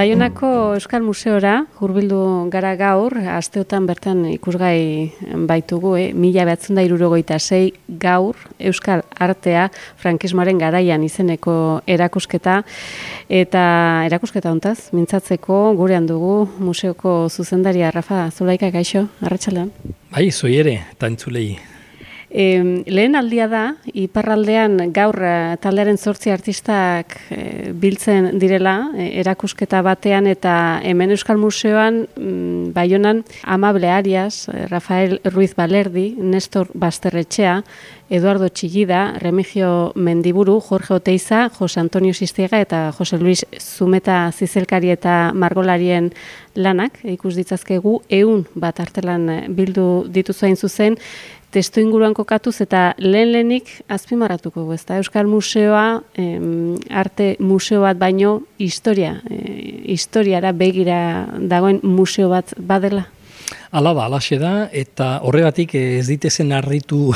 Baionako Euskal Museora hurbildu gara gaur, asteotan bertan ikusgai baitugu, 1976 gaur Euskal Artea frankismoaren garaian izeneko erakusketa, eta erakusketa hontaz mintzatzeko gurean dugu museoko zuzendaria Rafa Zulaika. Kaixo, arratsaldean. Bai, zoi ere, eta entzulei. Lehen aldia da, iparraldean gaur taldearen 8 artistak biltzen direla, erakusketa batean, eta hemen Euskal Museoan, Baionan, Amable Arias, Rafael Ruiz Balerdi, Nestor Basterretxea, Eduardo Txillida, Remigio Mendiburu, Jorge Oteiza, Jose Antonio Sistiega eta Jose Luis Zumeta Zizelkari eta Margolarien lanak ikus ditzazkegu 100 artelan bildu dituzu hain zuzen, testu inguruan kokatuz eta lehenik azpimarratuko gu, ezta? Euskal Museoa, arte museo bat baino historiara begira dagoen museo bat badela? Hala da, alaxe da, eta horregatik ez ditezen harritu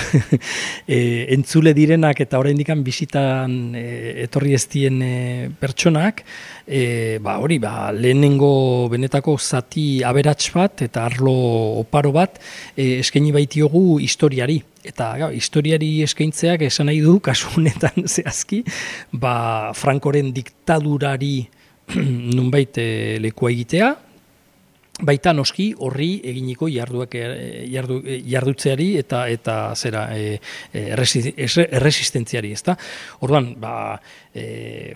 entzule direnak eta oraindik bisitan etorri ez dien pertsonak, lehenengo benetako zati aberats bat eta arlo oparo bat eskaini baitiogu historiari. Eta historiari eskaintzeak esan nahi du, kasu honetan zehazki, Frankoren diktadurari nunbait lekua egitea, baita noski horri eginiko jardutzeari eta zera erresistentziari, ezta? Orduan,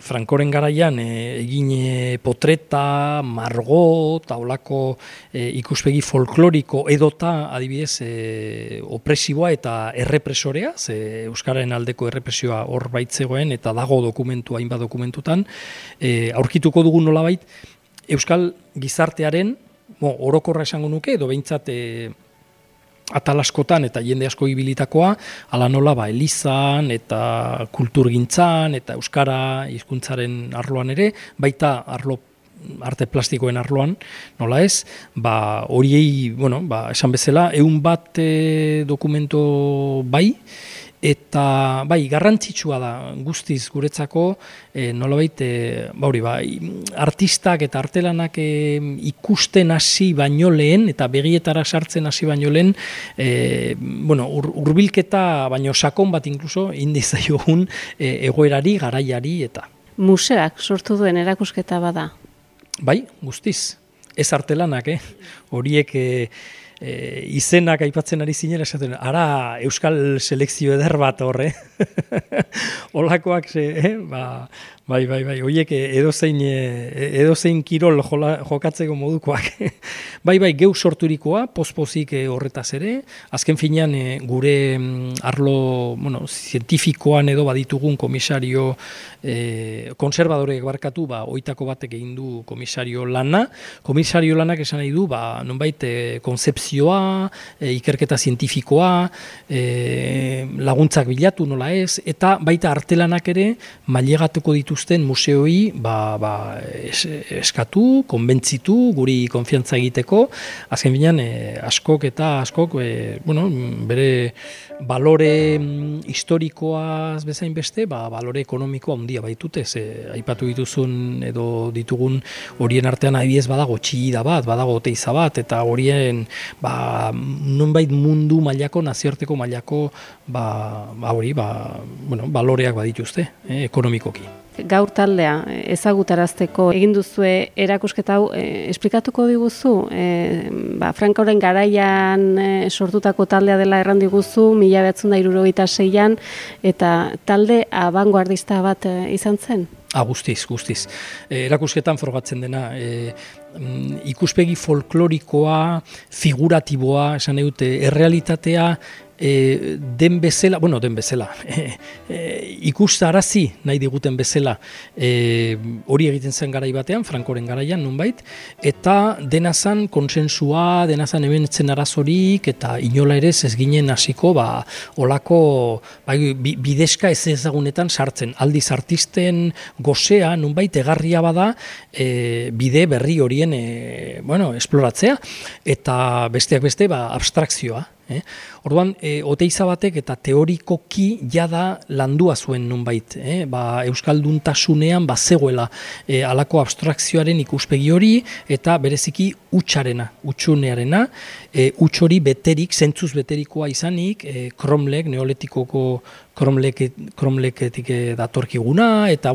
Frankoren garaian egin potreta, margo, eta holako ikuspegi folkloriko edota adibidez opresiboa eta errepresorea, Euskararen aldeko errepresioa hor baitzegoen eta dago dokumentu, hainbat dokumentutan, aurkituko dugu nolabait Euskal gizartearen orokorra esango nuke, edo behintzat atal askotan eta jende asko ibilitakoa, ala nola elizan eta kulturgintzan eta euskara hizkuntzaren arloan ere, baita arte plastikoen arloan, nola ez, horiei, esan bezala, 100 dokumento bai, eta garrantzitsua da guztiz guretzako nolabait artistak eta artelanak ikusten hasi baino lehen eta begietara sartzen hasi baino lehen hurbilketa baino sakon bat inkluso indizaiogun egoerari, garaiari eta. Museoak sortu duen erakusketa bada? Bai, guztiz. Ez artelanak, horiek izenak aipatzen ari zinera esaten, ara euskal selekzio eder bat horre. Olakoak, bai, horiek edozein kirol jokatzeko modukoak. Bai, geu sorturikoa, pospozik horretaz ere, azken finean gure arlo zientifikoan edo baditugun komisario konservadorek barkatu, oitako batek egin du komisario lana. Komisario lanak esan nahi du, nonbait konzepzioa, ikerketa zientifikoa, laguntzak bilatu nola ez, eta baita artelanak ere mailegatuko dituzten museoi eskatu, konbentzitu, guri konfiantza egiteko, azken binean askok bere balore historikoaz bezain beste, balore ekonomikoa handia baitute, aipatu dituzun edo ditugun horien artean adibidez badago Txillida bat, badago Oteiza bat, eta horien nonbait mundu mailako, nazioarteko mailako baloreak badituzte, ekonomikoki. Gaur taldea ezagutarazteko egin duzue erakusketa hau, esplikatuko diguzu, Frankoren garaian sortutako taldea dela erran diguzu, 1976an, eta talde abangoardista bat izan zen? Guztiz. Erakusketan frogatzen dena, ikuspegi folklorikoa, figuratiboa, esan dute, errealitatea, den bezala, ikustarazi nahi diguten bezala, hori egiten zen garai batean, Frankoren garaian nunbait, eta denazan konsensua, denazan hemen arazorik, eta inola ere ez ginen hasiko, olako bidezka ez ezagunetan sartzen. Aldiz artisten gozea nunbait egarria bada bide berri horien esploratzea, eta besteak beste abstrakzioa. Orduan, Oteiza batek eta teorikoki jada landua zuen nunbait, euskalduntasunean zegoela halako abstrakzioaren ikuspegi hori eta bereziki utxunearena, huts hori beterik, zentzuz beterikoa izanik, Cromlech, neolitikoko Cromlechetik datorkiguna, eta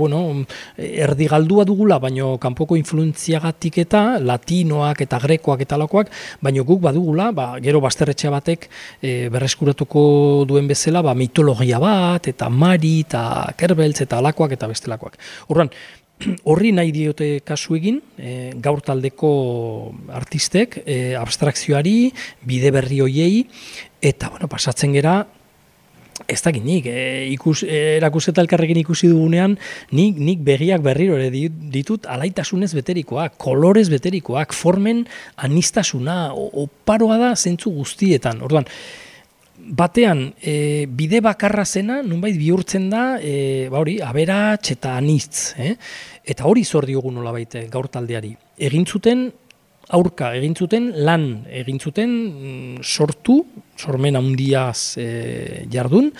erdi galdua dugula, baino kanpoko influentziagatik eta latinoak eta grekoak eta alakoak, baino guk badugula, gero bazterretxe batek berreskuratuko duen bezala, mitologia bat, eta Mari, eta Kerbeltz, eta alakoak, eta bestelakoak. Orduan, horri nahi diote kasu egin, gaur taldeko artistek, abstrakzioari, bide berri hoiei, eta pasatzen gera, ez dakit nik, erakusketa elkarrekin ikusi dugunean, nik begiak berriro ere ditut alaitasunez beterikoak, kolorez beterikoak, formen anistasuna, oparoa da zentzu guztietan. Orduan, batean, bide bakarra zena, nunbait bihurtzen da, aberats eta anitz. Eta hori zor diogu nolabait gaur taldeari. Aurka egin zuten, lan egin zuten, sormen handiaz jardun,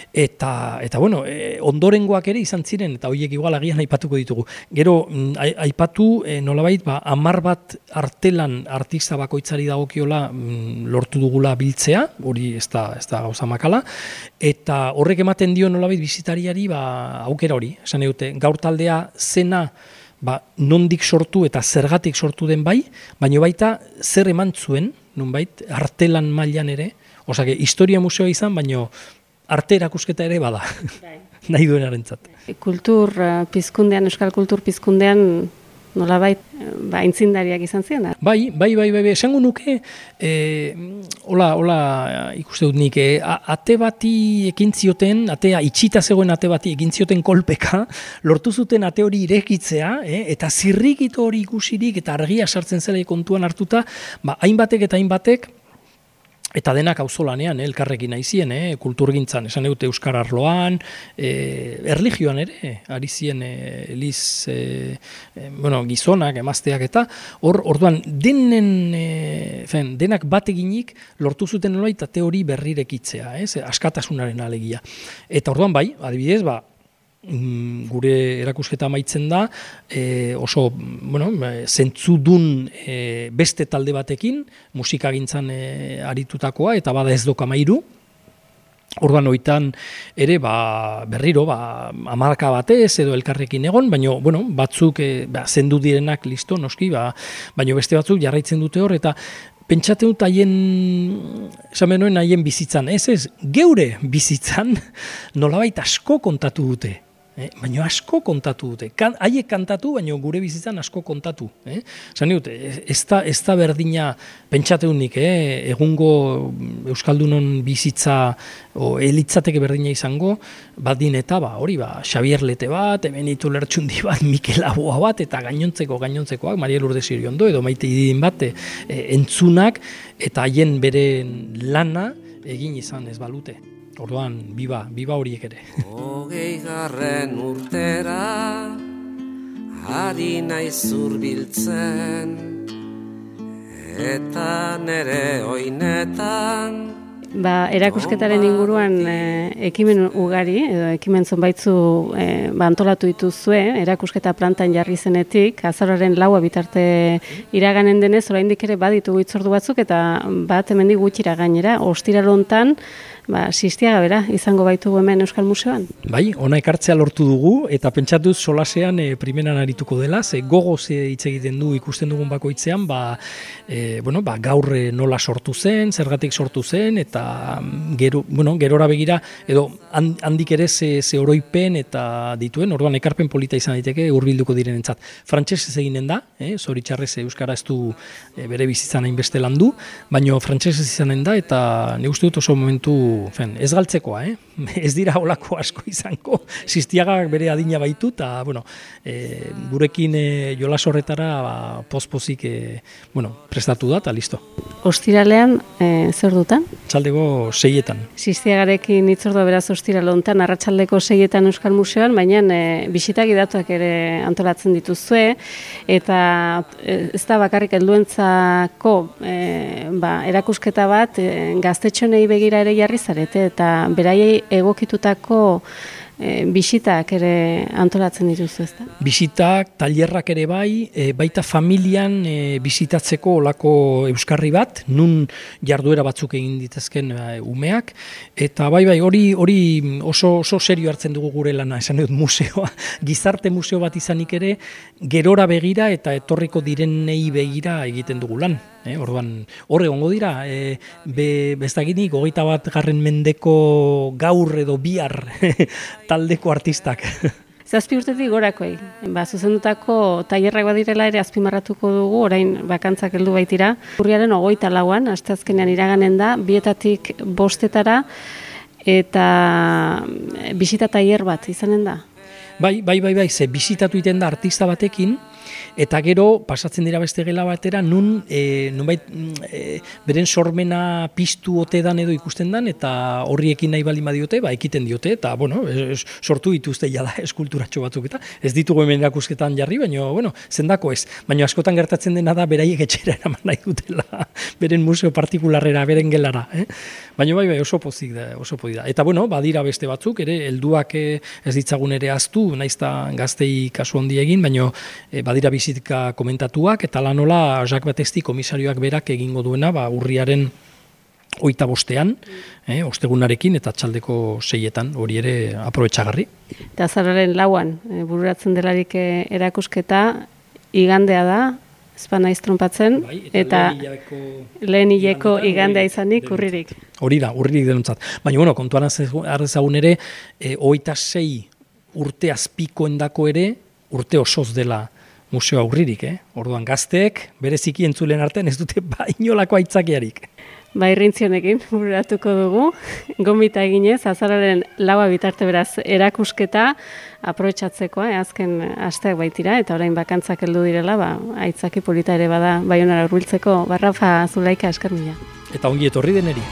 eta ondorengoak ere izan ziren, eta horiek igual agian aipatuko ditugu. Gero, aipatu nolabait, 10 bat artelan artista bakoitzari dagokiola lortu dugula biltzea, hori ez da gauza makala, eta horrek ematen dio nolabait bizitariari aukera hori, esan dute, gaur taldea zena, nondik sortu eta zergatik sortu den baina baita zer eman zuen, nonbait, artelan mailan ere, osake, historia museoa izan, baina arte erakusketa ere bada, nahi duenarentzat. Kultur pizkundean, euskal kultur pizkundean, nolabait, aintzindariak izan ziren? Bai, esango nuke, hola ikuste dut nik, ate bati ekin zioten, atea itxita zegoen ate bati ekin zioten kolpeka, lortu zuten ate hori irekitzea, eta zirrikito hori ikusirik eta argia sartzen zela kontuan hartuta, hainbatek eta hainbatek, eta denak auzolanean, elkarrekin aizien, kulturgintzan, esan dute euskara arloan, erlijioan ere, ari zien gizonak, emazteak eta, orduan, denak bateginik lortu zuten nolait ate hori berrirekitzea, askatasunaren alegia. Eta orduan bai, adibidez, gure erakusketa amaitzen da, oso, zentzudun beste talde batekin, musikagintzan aritutakoa, eta bada ez doka mairu. Orduan hoitan ere, berriro, hamarka batez edo elkarrekin egon, baina, batzuk zendu direnak listo, noski, baina beste batzuk jarraitzen dute hor, eta pentsate dut haien bizitzan, geure bizitzan nolabait asko kontatu dute. Baina asko kontatu dute. Haiek kantatu, baina gure bizitzan asko kontatu. Zan dut, ez da berdina pentsateunik, egungo Euskaldunon bizitza elitzateke berdina izango, badin eta hori, Xabier Lete bat, Benito Lertxundi bat, Mikel Aboa bat, eta gainontzekoak, Maria Lourdes Iriondo, edo Maite Ididin bat, entzunak, eta haien bere lana egin izan ez balute. Orduan, biba horiek ere. 20. urtera, ari naiz zurbiltzen, eta nere oinetan. Erakusketaren inguruan ekimen ugari, edo ekimen zonbaitzu antolatu dituzue, erakusketa plantan jarri zenetik, azaroaren 4 bitarte iraganen denez, oraindik ere baditugu hitzordu batzuk, eta bat hemendik gutxira gainera, ostiral hontan, Sistiaga bera, izango baitugu hemen Euskal Museoan. Bai, ona ekartzea lortu dugu, eta pentsatuz solasean primeran arituko dela, ze gogoz hitz egiten du ikusten dugun bakoitzean, gaur nola sortu zen, zergatik sortu zen, eta gerora begira, edo handik ere ze oroipen eta dituen, orduan ekarpen polita izan daiteke hurbilduko direnentzat. Frantsesez eginen da, zoritxarrez euskara ez du bere bizitzan hainbeste landu, baina frantsesez izanen da, eta ne uste dut oso momentu ez galtzekoa, ez dira olako asko izango, Sistiagak bere adina baitu, eta gurekin jolas horretara pozpozik prestatu da, eta listo. Ostiralean zer dutan? Txalde arratsaldeko 6etan. Sistiagarekin hitzordua beraz ostira lontan arratsaldeko 6etan Euskal Museoan, baina bisita gidatuak ere antolatzen dituzue, eta ez da bakarrik helduentzako erakusketa bat gaztetxonei begira ere jarri zarete, eta beraiei egokitutako bisitak ere antolatzen dituzu, ezta? Bisitak, tailerrak ere bai, baita familian bisitatzeko olako euskarri bat, nun jarduera batzuk egin ditezken umeak, eta bai, hori oso serio hartzen dugu gure lana, esan dut museoa, gizarte museo bat izanik ere, gerora begira eta etorriko direnei begira egiten dugu lan. Orduan, hor egongo dira, bestaginik, 21. mendeko gaur edo bihar taldeko artistak. 7 urtetik gorakoei. Zuzendutako tailerrak badirela ere azpimarratuko dugu, orain bakantzak heldu baitira. Urriaren 24an, asteazkenean iraganen da, 2etatik 5etara, eta bisita tailer bat izanen da. Bai, ze bisitatu iten da artista batekin, eta gero pasatzen dira beste gela batera, nunbait beren sormena piztu ote dan edo ikusten dan, eta horriekin nahi baldin badiote, ekiten diote, eta sortu dituzte jada eskulturatxo batzuk, eta ez ditugu hemen erakusketan jarri, baina zendako ez. Baina askotan gertatzen dena da beraiek etxera eraman nahi dutela, beren museo partikularrera, beren gelara. Baina bai, oso pozik da, Eta badira beste batzuk, ere, helduak ez ditzagun ere aztu, naizta gaztei kasu handi egin, baina badira bizitka komentatuak, eta lanola Jacques Batesti komisarioak berak egingo duena, urriaren 25ean, ostegunarekin eta txaldeko 6etan, hori ere aprobetxagarri. Eta azararen 4an, bururatzen delarik erakusketa, igandea da, ezpan naiz trompatzen, eta lehen hileko igandea izanik urririk. Hori da, urririk denontzat. Baina, kontuan arrezagun ere, 26 urte azpikoendako ere, urte osoz dela museoa urririk, Orduan gazteek, bereziki entzulen artean ez dute inolako aitzakiarik. Irrintzionekin bururatuko dugu, gonbita eginez, azararen 4 bitarte beraz erakusketa aprobetxatzeko, azken asteak baitira, eta orain bakantzak heldu direla, aitzaki polita ere bada Baionara hurbiltzeko. Rafa Zulaika, esker mila. Eta ongi etorri deneri.